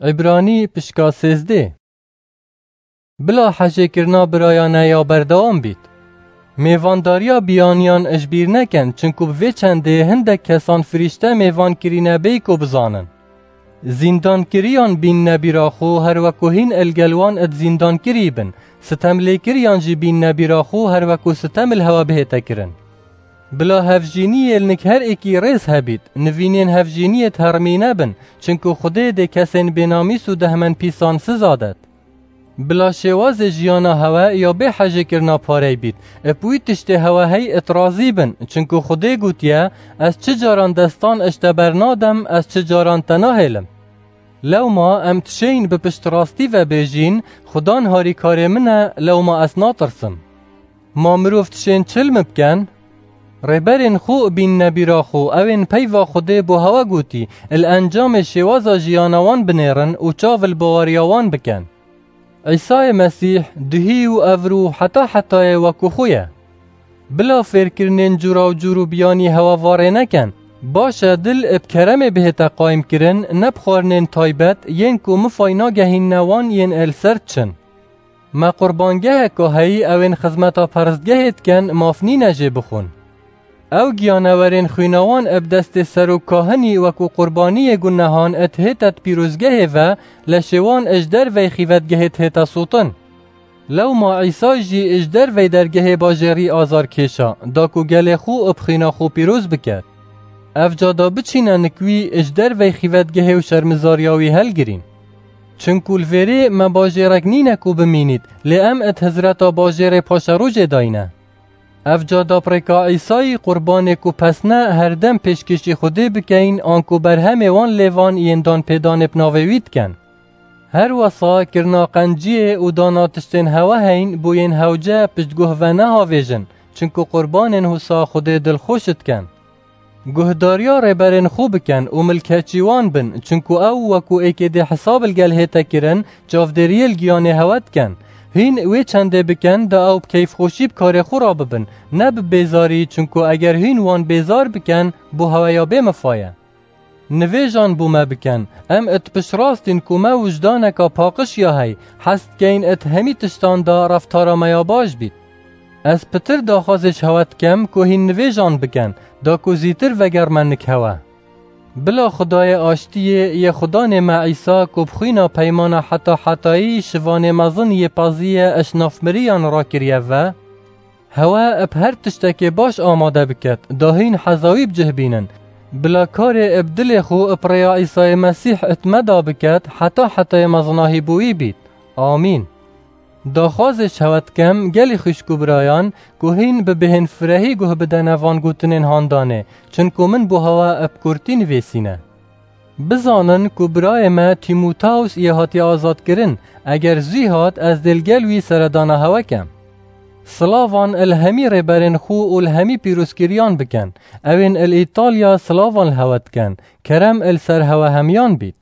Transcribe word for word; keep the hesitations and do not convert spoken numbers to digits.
Îbranî pişka sêzdeh. Bila hejêkirina birayane ya berdewam bît. Mêvandariya biyaniyan ji bîr nekin, çinku bi vê çendê hindek kesan firîşte mêvan kirîne bêyî ku bizanin. Zîndankiriyan bînine bîra xwe, her weku hîn il gel wan id zîndankirî bin, sitemlêkiriyan jî bînine bîra xwe, her weku sitem il hewa bihête kirin. Bila hevjîniyê li nik her êkî rêz hebît, nivînên hevjîniyê termî nebin, çinku Xwedê dê kesên bênamîs û dehmenpîsan siza det. Bila şêwazê jiyana hewe ya bê hejêkirina parey bît, ib wî tiştê hewe hey it razî bin, çinku Xwedê gotiye, Ez çi caran destan ij te bernadem, ez çi caran te nahêlim. Lewma em dişêyin bi piştrastî ve bêjîn, Xudan harîkarê min e, lewma ez natirsim. Ma mirov dişên çil mi biken? Rêberên xwe bînine bîra xwe, ew ên peyva Xwedê bo hewe gotî, li encamê şêwaza jiyana wan binêrin û çav li baweriya wan bikin. Îsayê Mesîh duhî û evro heta hetayê wekû xwe ye. Bila fêrkirinên cûra û cûr û biyanî hewa varê nekin. Baş e dil ib keremê bihête qayîmkirin, ne bi xwarinên taybet, yên ku mifay nagehînine wan yên el ser diçin. Me qurbangeheka heyî, ew ên xizmeta perestgehê dikin, maf nîne jê bixwin. Ew giyanewerên xwîna wan ib destê serok kahinî wekû qurbaniyê gunehan id hête di pîrozgehê ve, leşê wan ij dervey xîvetgehê dihête sotin. Lewma Îsa jî ij dervey dergehê bajêrî azar kêşa, da ku gelê xwe ib xwîna xwe pîroz biket. Ev ca da biçîne nik wî ij dervey xîvetgehê û şermizariya wî helgirîn. Çinku li vêrê me bajêrek nîne ku bimînît, lê em id hizreta bajêrê paşerojê dayne. Ev ca da bi rêka Îsayî qurbanê ku pesne her dem pêşkêşî Xwedê bikeyin, anku berhemê wan lêvan yên danpêdanê bi navê wî dikin. Her wesa kirina qenciyê û dana tiştên hewe heyn bo yên hewce piştguh ve nehavêjin, çinku qurbanên husa Xwedê dilxweş dikin. Guhdariya rêberên xwe bikin û milkeçî wan bin, çinku ew wekû êkê dê hesab li gel hête kirin, çavdêriyê li giyanê hewe dikin. Hîn wê çendê bikin, da ew bi keyfxweşî bi karê xwe re bibin, ne bi bêzarî, çinku eger hîn wan bêzar bikin, bo hewe ya bê mifa ye. Nivêjan bo me bikin. Em id piştrast în ku me wijdaneka paqij ya hey, hez dikeyn id hemî tiştan da reftara me ya baş bît. Ez pitir daxwazê ji hewe dikim ku hîn nivêjan bikin, da ku zîtir vegerme nik hewe. Bila Xwedayê aştiyê yê Xudanê me Îsa ku bi xwîna peymana heta hetayî şivanê mezin yê pezî ye ji nav miriyan rakiriye ve, hewe ib her tiştekê baş amade biket, da hîn heza wî bi cih bînin. Bila karê ib dilê xwe ib rêya Îsayê Mesîh id me da biket, heta hetayê mezinahî bo wî bît. Amîn. Daxwazê ji hewe dikim, gelî xwişk û birayan, ku hîn bi bêhên firehî guh bidene van gotinên handanê, çinku min bo hewe ib kurtî nivêsîne. Bizanin ku birayê me Tîmoteus yê hatiye azadkirin, eger zû hat, ez dê li gel wî seredana hewe kem. Silavan li hemî rêberên xwe û li hemî pîrozkiriyan bikin. Ew ên li Îtalya silavan li hewe dikin. Kerem li ser hewe hemiyan bît.